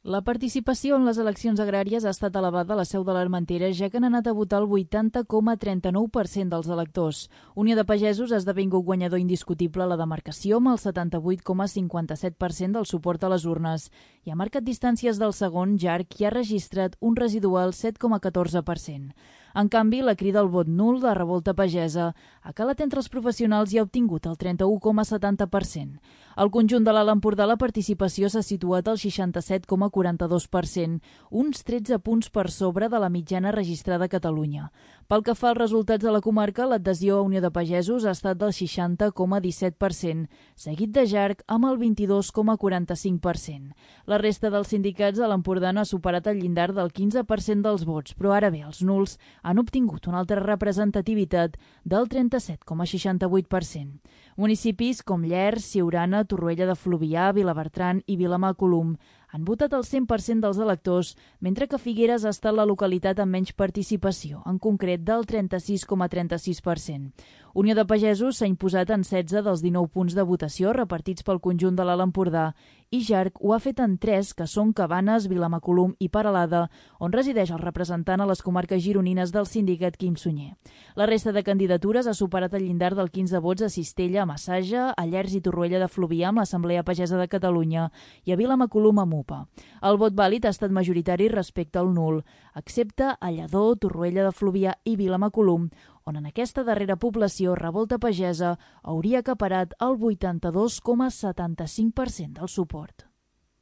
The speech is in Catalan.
La participació en les eleccions agràries ha estat elevada a la Seu de l'Armentera, ja que han anat a votar el 80,39% dels electors. Unió de Pagesos ha esdevingut guanyador indiscutible a la demarcació amb el 78,57% del suport a les urnes i ha marcat distàncies del segon, Jarc, i ha registrat un residual 7,14%. En canvi, la crida al vot nul de Revolta Pagesa ha calat entre els professionals i ha obtingut el 31,70%. Al conjunt de l'Alt Empordà la participació s'ha situat al 67,42%, uns 13 punts per sobre de la mitjana registrada a Catalunya. Pel que fa als resultats de la comarca, l'adhesió a Unió de Pagesos ha estat del 60,17%, seguit de Jarc amb el 22,45%. La resta dels sindicats de l'Empordà no ha superat el llindar del 15% dels vots, però ara bé, els nuls han obtingut una altra representativitat del 37,68%. Municipis com Llers, Siurana, Torroella de Fluvià, Vilabertran i Vilamacolum han votat el 100% dels electors, mentre que Figueres ha estat la localitat amb menys participació, en concret del 36,36%. Unió de Pagesos s'ha imposat en 16 dels 19 punts de votació repartits pel conjunt de l'Alt Empordà i Jarc ho ha fet en 3, que són Cabanes, Vilamacolum i Peralada, on resideix el representant a les comarques gironines del sindicat Quim Sunyer. La resta de candidatures ha superat el llindar del 15 vots a Cistella, a Massaja, a Llers i Torroella de Fluvià amb l'Assemblea Pagesa de Catalunya i a Vilamacolum amb UPA. El vot vàlid ha estat majoritari respecte al nul, excepte a Lledó, Torroella de Fluvià i Vilamacolum, on en aquesta darrera població Revolta Pagesa hauria acaparat el 82,75% del suport.